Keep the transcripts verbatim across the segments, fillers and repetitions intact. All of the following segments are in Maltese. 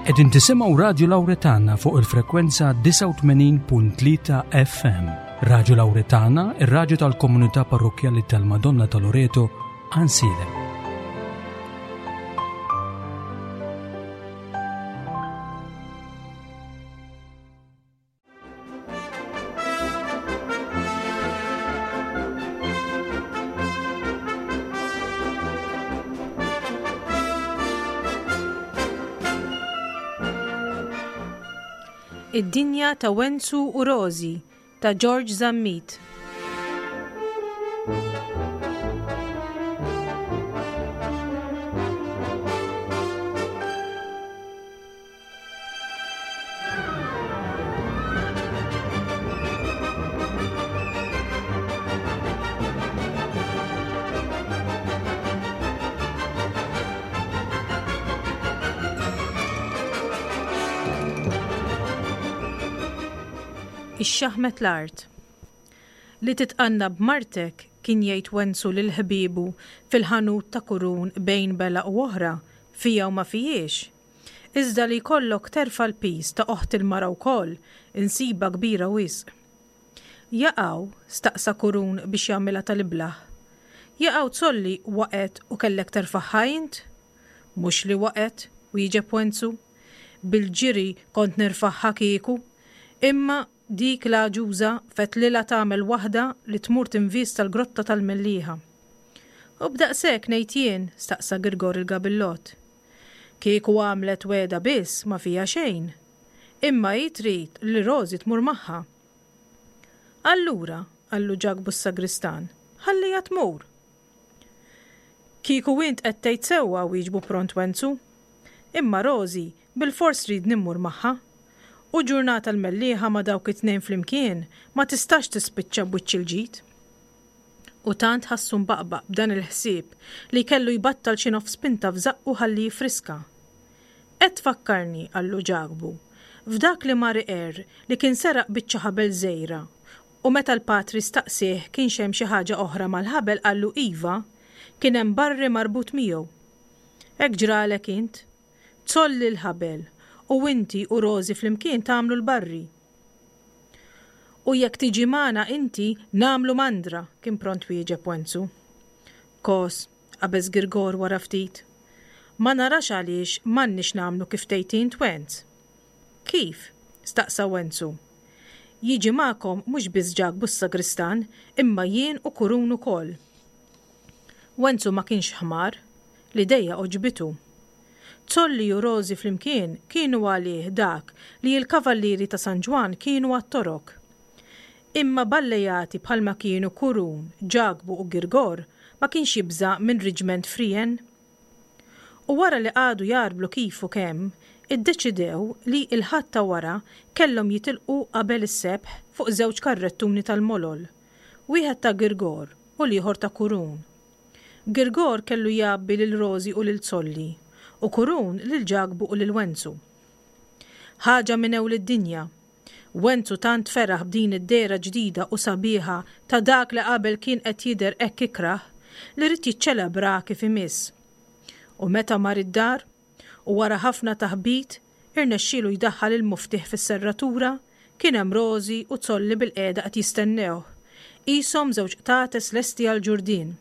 Qegħdin tisimgħu Radju Lawretana fuq il-frekwenza disgħa u tmenin punt tlieta F M. Radju Lawretana, ir-radju tal-komunità parrokkjali tal-Madonna ta' Loreto, Għajnsielem. Id-dinja ta' Wenzu u Rożi ta' George Zammit. Ix-xaħmet l-art. Li titqanna b'martek kien jgħid Wenzu lil ħbiebu fil-ħanut ta' Kurun bejn bela u oħra, fija u ma fijiex. Iżda li jkollok terfa' l-pis ta' oħt il-mara wkoll, insiba kbira wisq. Jaqaw, staqsa Kurun biex jagħmilha tal-iblah. Jaqaw tsolli waqgħet u kellek terfagħha int? Mhux li waqgħet, wieġeb Wenzu. Bil-ġiri kont nirfagħha kieku, imma dik l-għaġuża fetlilha tagħmel waħda li tmur tinvista l-grotta tal-Mellieħa. U b'daqshekk ngħid jien, staqsa Girgor il-Gabillott. Kieku għamlet weda biss ma fija xejn. Imma hi trid li Rożi tmur magħha. Allura, qallu Ġakbu s-sagristan, ħallija tmur. Kieku int qed tgħid sewwa, wieġbu pront Wenzu. Imma Rożi bil-fors trid nimmur magħha. U ġurnata l-Mellieħa ma' dawk it-tnejn flimkien ma tistax tispiċċa b'wiċċ il-ġid. U tant ħassu mbaqbaq b'dan il-ħsieb li kellu jbattal xi nofs pinta f'żaqqu ħalli jifriska. Qed tfakkarni, qallu Ġakbu, f'dak li mar iqerr li kien seraq biċċa ħabel żgħira. U meta l-patri staqsih kienx hemm xi ħaġa oħra mal-ħabel qallu iva, kien hemm barri marbut miegħu. Hekk ġralek int, tsolli l-ħabel u inti u Rożi flimkien tagħmlu l-barri. U jekk tiġi magħna inti nagħmlu mandra, kien pront wieġeb Wenzu. Kos, qabeż Girgor wara ftit. Ma narax għaliex m'għandniex nagħmlu kif tgħid int Wenz. Kif? Staqsa Wenzu. Jiġi magħkom mhux biss Ġakbu s-sagristan, imma jien u Kurun ukoll. Wenzu ma kienx ħmar, l-idea għoġbitu. Zolli u Rożi flimkien kienu għalih dak li l-kavallieri ta' San Ġwann kienu għat-torok. Imma ballejati bħalma kienu Kurun, Ġakbu u Girgor ma kienx jibża' minn riġment frien. U wara li qagħdu jarblu kif u kemm, iddeċidew li l-ħadd ta' wara kellhom jitilqu qabel is-sebħ fuq żewġ karrettuni tal-molol, wieħed ta' Girgor u l-ieħor ta' Kurun. Girgor kellu jgħabbi lil Rożi u lil Zolli, u Kurun lil Ġakbu u lil Wenzu. Ħaġa minn ewl id-dinja. Wenzu tant feraħ b'din id-dehra ġdida u sabiħa ta' dak li qabel kien qed jidher hekk ikrah li rid jiċċelebra kif imiss. U meta mar id-dar, u wara ħafna taħbit, irnexxielu jdaħħal il-muftieħ fis-serratura, kien hemm Rożi u Zolli bil-qiegħda qed jistennewh. Qishom żewġ qtates lesti għall-ġurdien.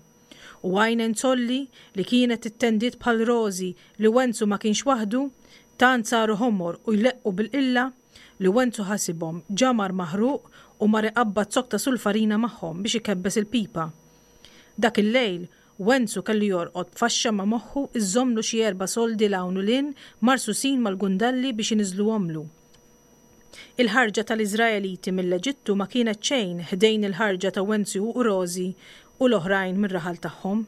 U għajnen Zolli li kienet ittendiet bħal Rożi li Wenzu ma kienx waħdu, tant saru ħomor u jleqqu bil-qilla li Wenzu ħasibhom ġamar maħruq u mar iqabbad zokk ta' sulfarina magħhom biex ikebbes il-pipa. Dak il-lejl Wenzu kellu jorqod b'faxxa ma' moħħu iżomlu xi erba' soldi 'l hawn u 'l hinn marsusin mal-gundalli biex iniżluhomlu. Il-ħarġa tal-Iżraeliti mill-Eġittu ma kienet xejn ħdejn il-ħarġa ta' Wenzu u Rożi u l-oħrajn mir-raħal tagħhom.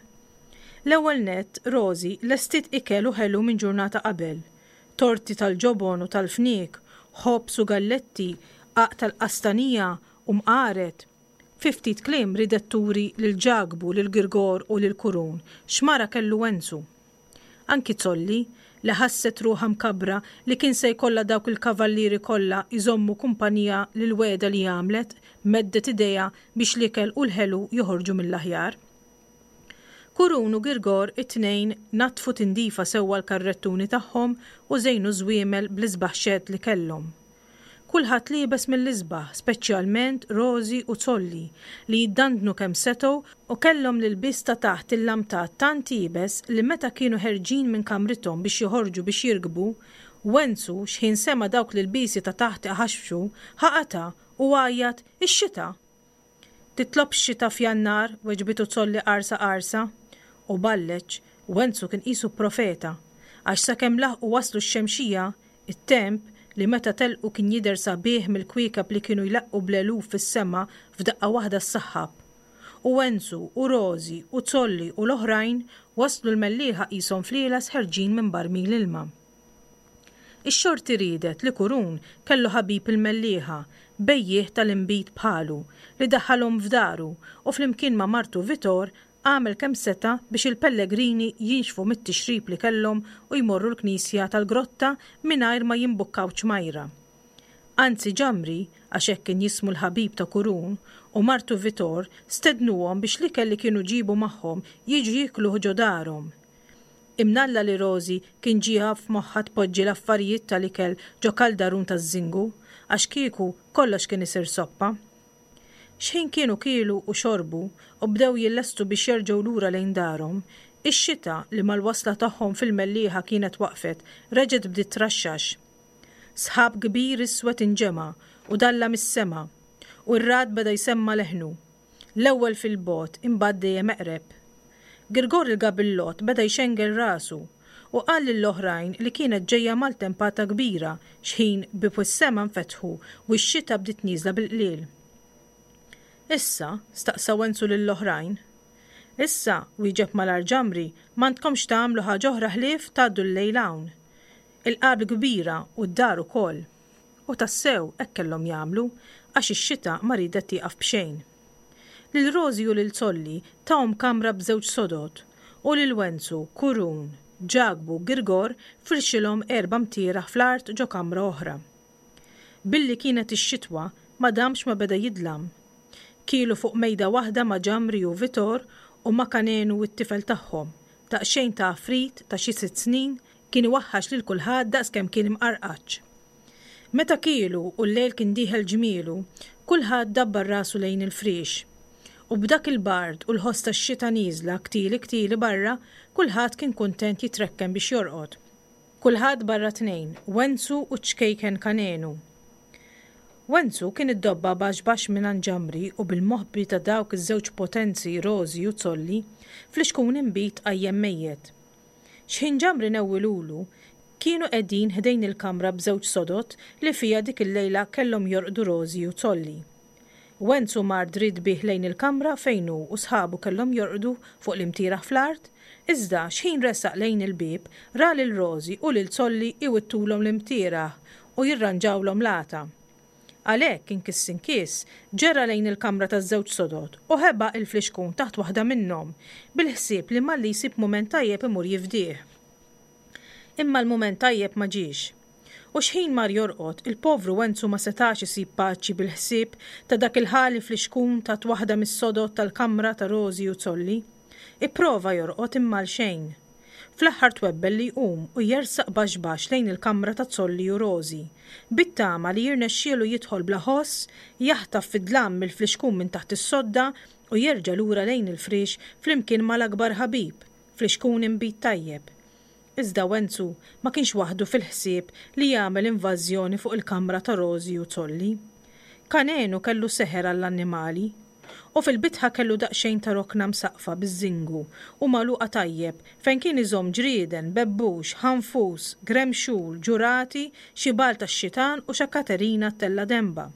L-ewwel nett Rożi lestit ikel u ħelu minn ġurnata qabel, torti tal-ġobon u tal-fniek, ħobż u galletti, qaq tal-qastanija u mqaret. Fi ftit kliem ridet turi lil Ġakbu, lil Girgor u lil Kurun x'mara kellu Wenzu. Anki Zolli, li ħasset ruħha mkabra li kien se jkollha dawk il-kavallieri kollha jżommu kumpanija lil weda li għamlet, meddet idejha biex l-ikel u l-ħelu joħorġu mill-aħjar. Kurun u Girgor it-tnejn naddfu tindifa sewwa l-karrettuni tagħhom u żejnu ż-żwiemel bl-isbaħ xedd li kellhom. Kulħadd liebes mill-isbaħ, speċjalment Rożi u Zolli, li jiddandnu kemm setgħu u kellhom l-ilbies ta' taħt il-lamtat tant iebes li meta kienu ħerġin minn kamrithom biex joħorġu biex jirkbu, Wenzu, xħin sema' dawk l-ilbiesi ta' taħt iħaxfxu, ħa qata' u għajjat, Ix-xita! Titlobx xita f'Jannar, weġbitu Zolli qarsa qarsa. U balleċ, Wenzu kien qisu profeta, għax sakemm laħqu waslu x-Xemxija, it-temp, li meta telqu kien jidher sabiħ mill-kwiekeb li kienu jleqqu bl-eluf fis-sema f'daqqa waħda ssaħħab. U Wenzu, u Rożi, u Zolli u l-oħrajn waslu l-Mellieħa qishom flieles ħerġin minn barmil ilma. Ix-xorti riedet li Kurun kellu ħabib il-Mellieħa, bejjiegħ tal-inbid bħalu, li daħħalhom f'daru u flimkien ma' martu Vitor għamel kemm seta' biex il-pellegrini jinxfu mit-tixrib li kellhom u jmorru l-knisja tal-grotta mingħajr ma jimbukkaw ċmajra. Anzi Ġamri, għax hekk kien jismu l-ħabib ta' Kurun, u martu Vitor stednuhom biex l-ikel li kienu ġiebu magħhom jiġu jiekluh ġo darhom. Imnalla li Rożi kien ġieha f'moħħha tpoġġi l-affarijiet tal-ikel ġo kaldarun taż-żingu, għax kieku kollox kien isir soppa. Xħin kienu kielu u xorbu u bdew jillestu biex jerġgħu lura lejn darhom, ix-xita li mal-wasla tagħhom fil-Mellieħa kienet waqfet, reġgħet bdiet traxxax. Sħab kbir iswed inġema' u dallam is-sema, u r-ragħad beda jsemma' leħnu, l-ewwel fil-bogħod imbagħad dejjem eqreb. Girgor il-gabillott beda jxengel rasu u qal lill-oħrajn li kienet ġejja maltempata kbira xħin bieb is-sema nfetħu u x-xita bdiet nieżla bil-qliel. Issa? staqsa Wenzu lill-oħrajn. Issa, wieġeb malajr Ġamri, m'għandkomx tagħmlu ħaġa oħra ħlief tgħaddu l-lejl hawn. Il-qabr kbira u d-dar ukoll. U tassew hekk kellhom jagħmlu għax ix-xita ma riedet tieqaf b'xejn. Lil Rożi u lil Zolli tahom kamra b'żewġ sodod u lil Wenzu, Kurun, Ġakbu u Girgor firxilhom erba' mtieraħ fl-art ġo kamra oħra. Billi kienet ix-xitwa ma damx ma beda jidlam. Kielu fuq mejda waħda ma' Ġamri u Vitor u ma' Kanenu u t-tifel tagħhom, daqsxejn ta' għafrit ta' xi sitt snin kien iwaħħax lil kulħadd daqskemm kien imqarqaċ. Meta kielu u l-lejl kien dieħel ġmielu, kulħadd dabbar rasu lejn il-friex. U b'dak il-bard u l-ħoss tax-xita nieżla ktili ktili barra, kulħadd kien kuntent jitrekken biex jorqod. Kulħadd barra tnejn, Wenzu u ċ-ċkejken Kanenu. Wenzu kien iddobba baxx baxx mingħand Ġamri u bil-moħbi ta' dawk iż-żewġ potenzi Rożi u Zolli, flixkun inbid qajjem mejjet. Xħin Ġamri newwilulu, kienu qegħdin ħdejn il-kamra b'żewġ sodod li fiha dik il-lejla kellhom jorqdu Rożi u Zolli. Wenzu mar dritt bih lejn il-kamra fejn hu u sħabu kellhom jorqdu fuq l-imtieraħ fl-art, iżda xħin resaq lejn il-bieb ra lil Rożi u lil Zolli iwittulhom l-imtieraħ u jirranġawlhom l-għata. Għalhekk inkiss inkiss ġera lejn il-kamra taż-żewġ sodod u ħeba il-flixkun taħt waħda minnhom bil-ħsieb li malli jsib mument tajjeb imur jifdih. Imma l-mument tajjeb ma ġiex. U xħin mar jorqod, il-povru Wenzu ma setax isib paċi bil-ħsieb ta' dak il-ħali flixkun taħt waħda mis-sodod tal-kamra ta' Rożi u Zolli. Ipprova jorqod imma għal xejn. Fl-aħħar twebbel li jqum u jersaq baxx baxx lejn il-kamra ta' Zolli u Rożi, bit-tama li jirnexxielu jidħol bla ħoss, jaħtaf fid-dlam mill-flixkun minn taħt is-sodda u jerġa' lura lejn il-friex flimkien mal-akbar ħabib, flixkun inbid tajjeb. Iżda Wenzu ma kienx waħdu fil-ħsieb li jagħmel invażjoni fuq il-kamra ta' Rożi u Zolli. Kanenu kellu seħer għall-annimali. U fil-bitħa kellu daqsxejn ta' rokna msaqqfa biż-żingu u magħluqa tajjeb fejn kien iżomm ġrieden, bebbux, ħanfus, gremxul, ġurati, xi bagħal tax-xitan u xa Katerina ttella' denbha.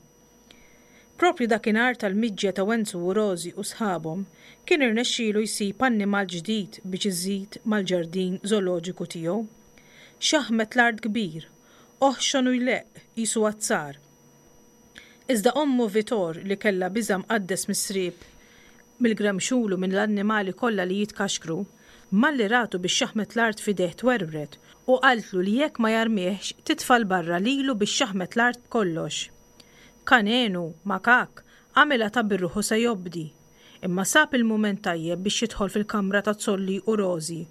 Proprju dakinhar tal-miġja ta' Wenzu u Rożi u sħabhom, kien irnexxielu jsib annimal ġdid biex iżid mal-ġardin żooloġiku tiegħu. Xaħmet l-art kbir, oħxon u jleqq qisu azzar. Iżda ommu Vitor li kellha biża' mqaddes mis-sriep, mill-gremxul u mill-annimali kollha li jitkaxkru, malli ratu bix-xaħmet l-art f'idejh twerwret u qaltlu li jekk ma jarmihx titfa' 'l barra lilu bix-xaħmet l-art b'kollox. Kanenu, makak, għamilha ta' birruħu se jobdi. Imma sab il-mument tajjeb biex jidħol fil-kamra ta' Zolli u Rożi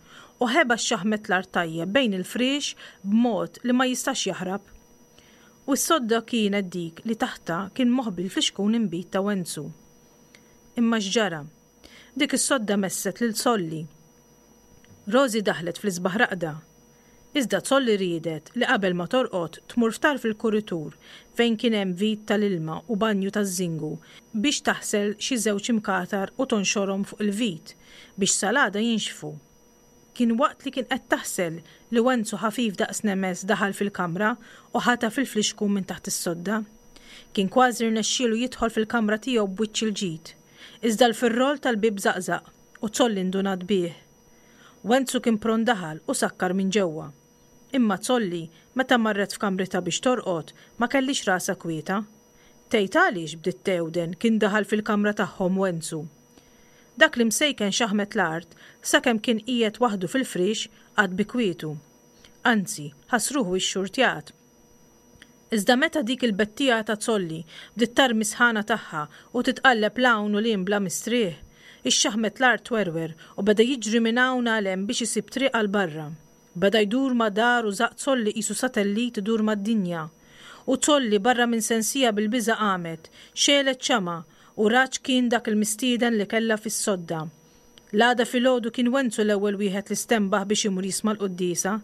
u ħeba x-xaħmet l-art tajjeb bejn il-friex b'mod li ma jistax jaħrab. U s-sodda kienet dik li taħtha kien moħbi l-flixkun inbid ta' Wenzu. Imma x'ġara? Dik is-sodda messet lil Zolli. Rożi daħlet fl-isbaħ raqda. Iżda Zolli riedet li qabel ma torqod tmur f'tarf il-kuritur fejn kien hemm vit tal-ilma u banju taż-żingu biex taħsel xi żewġ imkatar u tonxorhom fuq il-vit biex sal-għada jinxfu. Kien waqt li kien qed taħsel li Wenzu ħafif daqs nemes daħal fil-kamra u ħataf il-flixkun minn taħt is-sodda. Kien kważi rnexxielu jidħol fil-kamra tiegħu b'wiċċ il-ġid. Iżda l-firrol tal-bieb żaqżaq u Zolli ndunat bih. Wenzu kien pront daħal u sakkar minn ġewwa. Imma Zolli, meta marret f'kamritha biex torqod, ma kellhiex rasha kwieta. Tgħid għaliex, bdiet tgħewden, kien daħal fil-kamra tagħhom Wenzu. Dak l-imsejken xaħmet l-art, sakemm kien qiegħed waħdu fil-friex, qagħad bi kwietu. Anzi, ħass ruħu xxurtjat. Iżda meta dik il-bettija ta' Zolli bdiet tarmi s-sħana tagħha u titqalleb 'l hawn u 'l hinn bla mistrieħ, ix-xaħmet l-art twerwer u beda jiġri minn hawn għal hemm biex isib triq għal barra. Beda jdur ma' dar u żaqq Zolli qisu satellit idur mad-dinja. U Zolli barra minn sensija bil-biża' qamet, xegħlet xama' u rat x'kien dak il-mistieden li kellha fis-sodda. L-għada filgħodu kien Wenzu l-ewwel wieħed li stenbaħ biex imur jisma' l-quddiesa.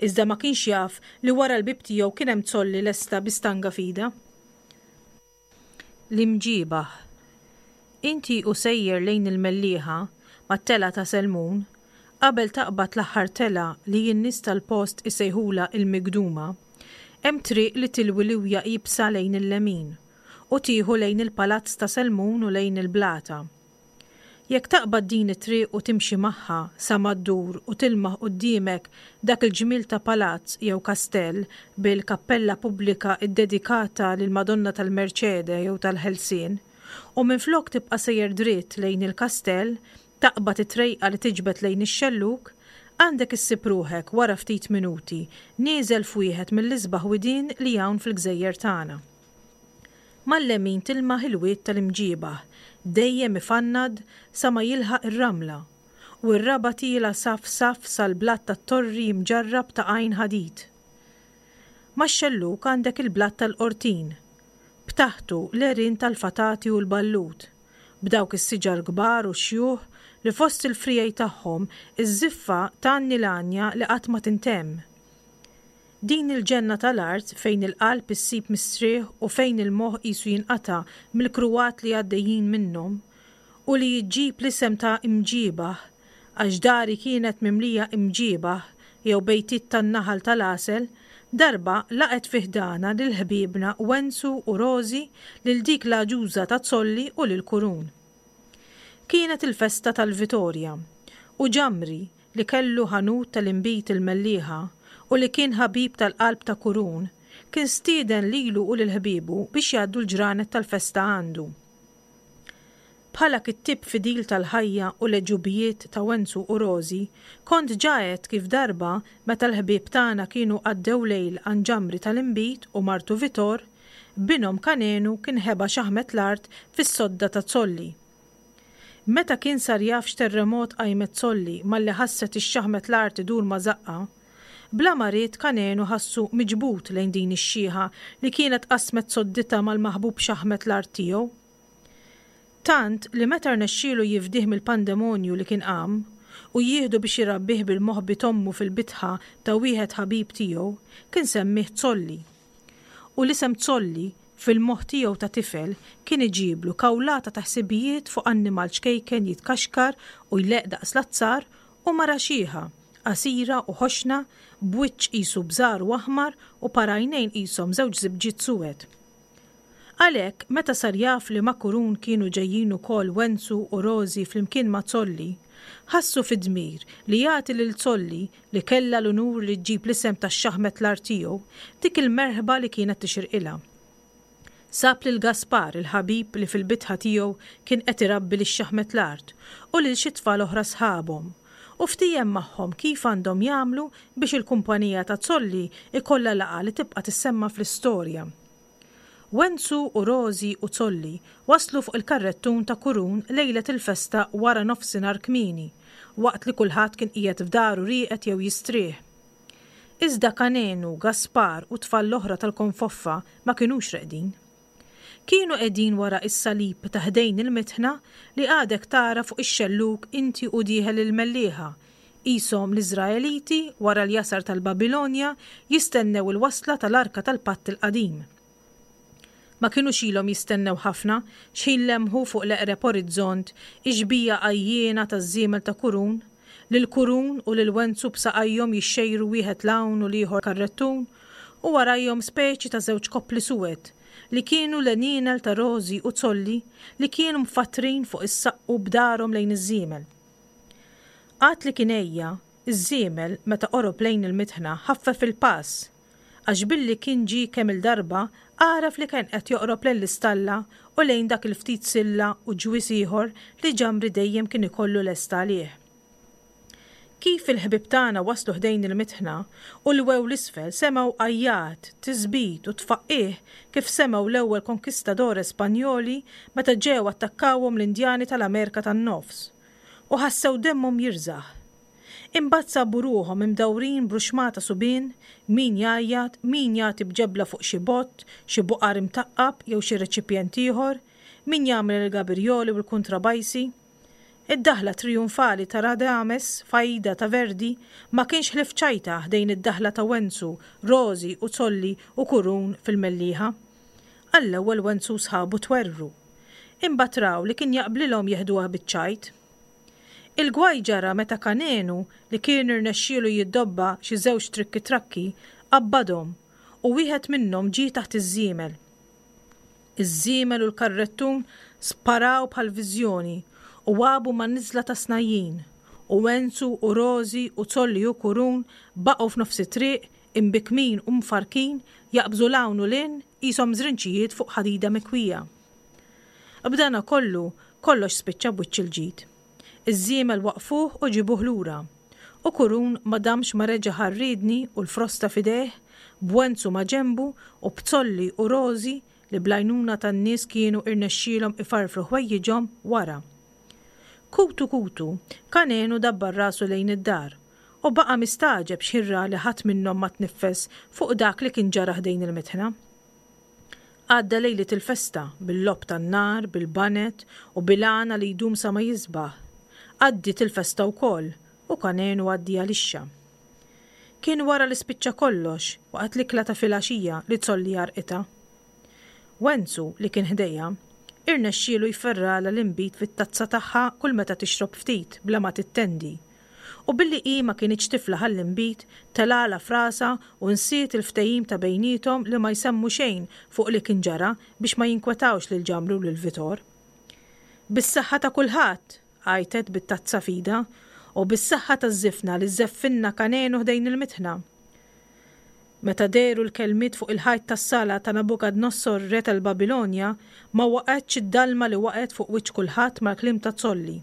Iżda ma kienx jaf li wara l-bieb tiegħu kien hemm Zolli lesta bi stanga f'idha. L-imġiebaħ. Inti u sejjer lejn il-Mellieħa, mat-telgħa ta' Selmun, qabel taqbad l-aħħar telgħa li n-nies tal-post isejħulha il-Migduma, hemm triq li tilwi liwja iebsa lejn il-lemin u tieħu lejn il-Palazz ta' Selmun u lejn il-Blata. Jekk taqbad din it-triq u timxi magħha sa ma ddur u tilmaħ quddiemek dak il-ġmiel ta' palazz jew kastell bil-kappella pubblika ddedikata lill-Madonna tal-Merċede jew tal-Ħelsien, u minflok tibqa' sejjer dritt lejn il-kastell, taqbad it-trejqa li tiġbed lejn ix-xellug, għandek issib ruħek wara ftit minuti nieżel f'wieħed mill-isbaħ widien li hawn fil-gżejjer tagħna. Mal-lemin tilmaħ il-wied tal-Imġiebaħ, dejjem ifannad sa ma jilħaq ir-ramla, u r-raba' tiela' saff saff sal-blat tat-torri mġarrab ta' Għajn Ħadid. Max-xellug għandek il-blat tal-Qortin, b'taħtu l-għerien tal-fatati u l-ballut, b'dawk is-siġar kbar u xjuħ li fost il-friegħi tagħhom iż-żiffa tgħanni l-għanja li qatt ma tintemm. Din il-ġenna tal-art fejn il-qalb issib mistrieħ u fejn il-moħħ qisu jinqata' mill-kruwat li għaddejjin minnhom, u li ġġib l-isem ta' Imġiebaħ għax dari kienet mimlija imġiebaħ jew bejtiet tan-naħal tal-għasel, darba laqgħet fi ħdanha lil ħbiebna Wenzu u Rożi, lil dik l-għaġuża ta' Zolli u lil Kurun. Kienet il-festa tal-Vitorja, u Ġamri, li kellu ħanut tal-inbid il-Mellieħa u li kien ħabib tal-qalb ta' Kurun, kien stieden lilu u lil ħbiebu biex jgħaddu l-ġranet tal-festa għandu. Bħala kittieb fidil tal-ħajja u l-għeġubijiet ta' Wenzu u Rożi, kont ġa għedt kif darba meta l-ħbieb tagħna kienu għaddew lejl għand Ġamri tal-inbid u martu Vitor, binhom Kanenu kien ħeba xaħmet l-art fis-sodda ta' Zolli. Meta kien sar jaf x'terremot qajmet Zolli malli ħasset ix-xaħmet l-art idur ma' żaqqha, bla ma ried Kanenu ħassu miġbud lejn din ix-xiħa li kienet qasmet sodditha mal-maħbub xaħmet l-art tiegħu. Tant li meta rnexxielu jifdih mill-pandemonju li kien qam u jieħdu biex irabbih bil-moħbi t'ommu fil-bitħa ta' wieħed ħabib tiegħu, kien semmieh Zolli. U l-isem Zolli fil-moħħ tiegħu ta' tifel kien iġiblu kawlata ta' ħsibijiet fuq annimal ċkejken jitkaxkar u jleqq daqs l-azzar u mara xiħa, qasira u ħoxna, b'wiċċ qisu bżar u aħmar u par għajnejn qishom żewġ żibġiet suwed. Għalhekk, meta sar jaf li ma' Kurun kienu ġejjin ukoll Wenzu u Rożi flimkien ma' Zolli, ħassu fid-dmir li jagħti lil Zolli, li kellha l-unur li ġġib l-isem tax-xaħmet l-art tiegħu, dik il-merħba li kienet tixirqilha. Sab lil Gaspar, il-ħabib li fil-bitħa tiegħu kien qed irabbi lix-xaħmet l-art u lil xi tfal oħra sħabhom, u ftiehem magħhom kif għandhom jagħmlu biex il-kumpanija ta' Zolli jkollha laqgħa li tibqa' tissemma fl-istorja. Wenzu u Rożi u Zolli waslu fuq il-karrettun ta' Kurun lejlet il-festa wara nofsinhar kmieni, waqt li kulħadd kien qiegħed f'daru rieqed jew jistrieħ. Iżda Kanenu, Gaspar u t-tfal l-oħra tal-Konfoffa ma kinux reqdin. Kienu qegħdin wara s-salib ta' ħdejn il-mitħna li għadek tara fuq ix-xellug inti u dieħel il-Mellieħa, qishom l-Iżraeliti wara l-jasar tal-Babilonja jistennew il-wasla tal-Arka tal-Patt il-Qadim. Ma kinux ilhom jistennew ħafna x'ħin lemħu fuq l-eqreb orizzont ix-xbieha għajjiena taż-żiemel ta' Kurun, lil Kurun u lil Wenzu b'saqajhom jixxejru wieħed 'l hawn u l-ieħor karrettun u warajhom speċi ta' żewġ koppli suwed li kienu l-għenienel ta' Rożi u Zolli li kienu mfattrin fuq is-saqqu b'darhom lejn iż-żiemel. Għad li kien għejja, iż-żiemel meta qorob lejn il-mitħna ħaffef il-pass għax billi kien ġie kemm-il darba għaraf li kien qed joqrob lejn l-istalla u lejn dak il-ftit silla u ġwież ieħor li Ġamri dejjem kien ikollu lest għalih. Kif il-ħbieb tagħna waslu ħdejn il-mitħna u lwew 'l isfel semgħu għajjat, tisbit u tfaqqigħ kif semgħu l-ewwel konkistadores Spanjoli meta ġew attakkawhom l-Indjani tal-Amerika tan-Nofs. U ħassew demmhom jirżaħ. Imbagħad sabu ruħhom imdawrin b'ruxmata subien, min jgħajjat, min jagħti b'ġebla fuq xi bott, xi buqar imtaqqab jew xi reċipjent ieħor, min jagħmel il-gabirjoli u l-kuntrabajsi. Id-daħla trijunfali ta' Radames f'Aida ta' Verdi ma kienx ħlief ċajta ħdejn id-daħla ta' Wenzu, Rożi u Zolli u Kurun fil-Mellieħa. Għall-ewwel Wenzu u sħabu twerwru. Imbagħad raw li kien jaqblilhom jeħduha biċ-ċajt. Il-gwaj ġara meta Kanenu, li kien irnexxielu jiddobba xi żewġ trikki trakki, qabbadhom u wieħed minnhom ġie taħt iż-żiemel. Iż-żiemel u l-karrettun sparaw bħal viżjoni u għabu man-niżla ta' Snajjin, u Wenzu u Rożi u Zolli u Kurun baqgħu f'nofs it-triq imbikkmin u mfarrkin jaqbżu 'l hawn u 'l hinn qishom żrinċijiet fuq ħadida mikwija. B'dana kollu, kollox spiċċa b'wiċċ il-ġid. Iż-żiemel waqqfuh u ġibuh lura. U Kurun ma damx ma reġa' ħa r-riedni u l-frosta f'idejh, b'Wenzu ma' ġenbu u b'Zolli u Rożi li bl-għajnuna tan-nies kienu irnexxielhom ifarfru ħwejjiġhom wara. Kutu kutu, Kanenu dabbar rasu lejn id-dar u baqa' mistagħġeb x'ħin ra li ħadd minnhom ma tniffes fuq dak li kien ġara ħdejn il-mitħna. Għadda lejliet il-festa, bil-logħob tan-nar, bil-baned u bil-għana li jdum sa ma jisbaħ. Għaddiet il-festa wkoll u Kanenu għaddieha lixxa. Kien wara li spiċċa kollox, waqt l-ikla ta' filgħaxija li Zolli għarqitha. Wenzu, li kien ħdejha, irnexxielu jferralha l-inbid fit-tazza tagħha kull meta tixrob ftit bla ma tittendi. U billi hi ma kinitx tiflaħ għall-inbid, telgħalha f'rasha u nsiet il-ftehim ta' bejniethom li ma jsemmu xejn fuq li kien ġara biex ma jinkwetawx lil Ġamri u lil Vitor. Bis-saħħa ta' kulħadd! għajtet bit-tazza f'idha, u bis-saħħa taż-żifna li żeffinna Kanenu ħdejn il-mitħna! Meta dehru l-kelmiet fuq il-ħajt tas-sala ta' Nabukadnossor re tal-Babilonja, ma waqgħetx id-dalma li waqgħet fuq wiċċ kulħadd mal-kliem ta' Zolli.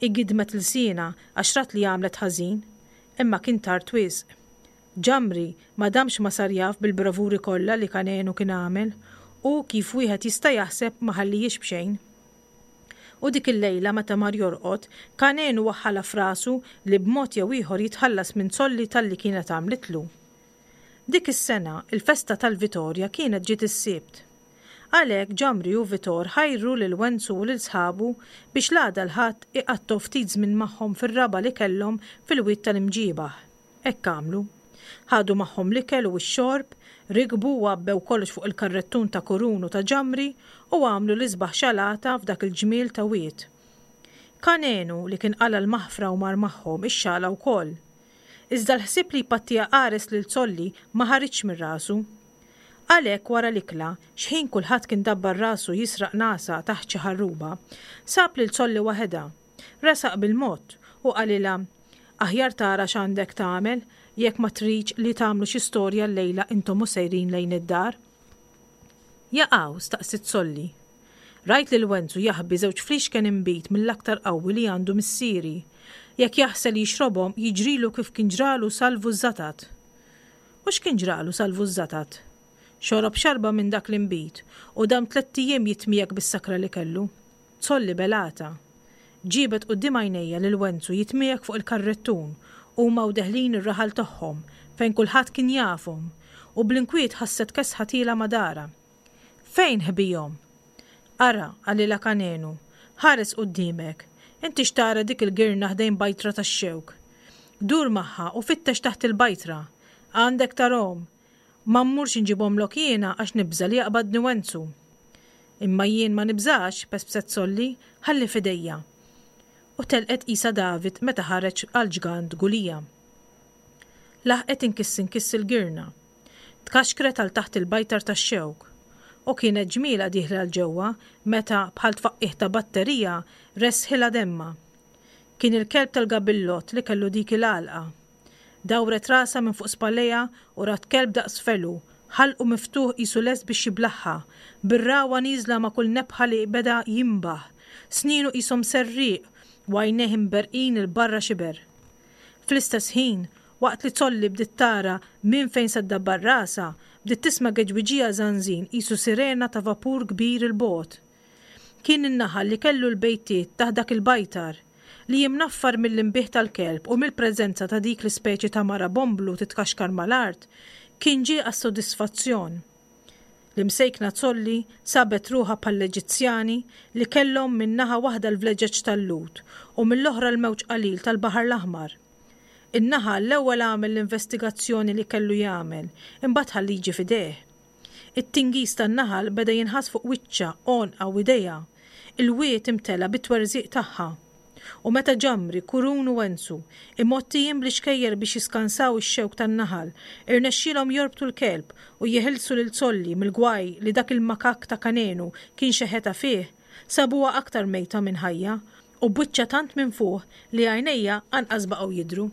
Hi gidmet lsienha għax rat li għamlet ħażin, imma kien tard wisq. Ġamri ma damx ma sar jaf bil-bravuri kollha li Kanenu kien għamel u, kif wieħed jista' jaħseb, ma ħallihiex b'xejn. U dik il-lejla meta mar jorqod, Kanenu waħħalha f'rasu li b'mod jew ieħor jitħallas minn Zolli talli kienet għamlitlu. Dik is-sena, il-festa tal-Vitorja kienet ġiet is-Sibt. Għalhekk Ġamri u Vitor ħajru lil Wenzu u lil sħabu biex l-għada l-Ħadd iqattgħu ftit żmien magħhom fir-raba' li kellhom fil-Wied tal-Imġiebaħ. Hekk għamlu. Ħadu magħhom l-ikel u x-xorb, rikbu u għabbew kollox fuq il-karrettun ta' Kurun u ta' Ġamri u għamlu l-isbaħ xalata f'dak il-ġmiel ta' wied. Kanenu, li kien qala' l-maħfra u mar magħhom, ixxala wkoll. Iżda l-ħsieb li jpattiha qares lil Zolli ma ħariġx minn rasu. Għalhekk wara l-ikla, xħin kulħadd kien dabbar rasu jisraq nagħsa taħt xi ħarruba, sab lil Zolli waħedha. Resaq bil-mod u qalilha, Aħjar tara x'għandek tagħmel jekk ma tridx li tagħmlu xi storja llejla intom u sejrin lejn id-dar. Jaqaw? staqsiet Zolli. Rajt lil Wenzu jaħbi żewġ fliexken inbid mill-aktar qawwi li għandu missieri. Jekk jaħsel jixrobhom jiġrilu kif kien ġralu Salvu ż-Żatat. U x'kien ġralu Salvu ż-Żatat? Xorob xarba minn dak l-inbid u dam tlett ijiem jitmiegħek bis-sakra li kellu. Zolli belgħatha. Ġiebet quddiem għajnejha lil Wenzu jitmiegħek fuq il-karrettun, huma u deħlin ir-raħal tagħhom, fejn kulħadd kien jafhom, u bl-inkwiet ħasset kesħa tielgħa ma' darha. Fejn ħbihom? Ara, qalilha Kanenu, ħares quddiemek. Inti x'tara dik il-girna ħdejn bajtra tax-xewk? Dur magħha u fittex taħt il-bajtra. Għandek tarahom. Ma mmurx inġibhomlok jiena għax nibża' li jaqbadni Wenzu. Imma jien ma nibżax, pespset Solli, ħalli f'idejja. U telqet qisha David meta ħareġ għall-ġgant Gulija. Laħqet inkiss inkiss il-girna. Tkaxkret għal taħt il-bajtar tax-xewk. U kienet ġmielha dieħla 'l ġewwa meta, bħal tfaqqigħ ta' batterija, resħilha demmha. Kien il-kelb tal-gabillott li kellu dik il-għalqa. Dawret rasha minn fuq spallejha u rat kelb daqs felu, ħalqu miftuħ qisu lest biex jiblagħha, bir-ragħwa nieżla ma' kull nebħa li beda jinbaħ, snienu qishom serrieq u għajnejh imberrqin 'il barra xiber. Fl-istess ħin, waqt li Zolli bdiet tara minn fejn se ddabbar rasha, bdiet tisma' geġwiġija żanżin qisu sirena ta' vapur kbir 'il bogħod. Kien in-naħal li kellu l-bejtiet taħt dak il-bajtar, li imnaffar mill-inbiħ tal-kelb u mill-preżenza ta' dik l-ispeċi ta' mara bomblu titkaxkar mal-art, kien ġie għas-sodisfazzjon. L-imsejkna Zolli sabet ruħha bħall-Eġizzjani li kellhom minn naħa waħda l-vleġeġ tal-Lhud u mill-oħra l-mewġ qalil tal-Baħar l-Aħmar. In-naħal l-ewwel għamel l-investigazzjoni li kellu jagħmel, imbagħad ħa l-liġi f'idejh. It-tingiż tan-naħal beda jinħass fuq wiċċha, għonqha u idejha. Il-wied imtela bit-twerżiq tagħha. U meta Ġamri, Kurun u Wenzu, imgħottijin bl-ixkejjer biex jiskansaw ix-xewk tan-naħal, irnexxielhom jorbtu l-kelb u jeħilsu lil Zolli mill-gwaj li dak il-makakk ta' Kanenu kien xeħetha fih, sabuha aktar mejta minn ħajja, u b'wiċċha tant minfuħ li għajnejha anqas baqgħu jidhru.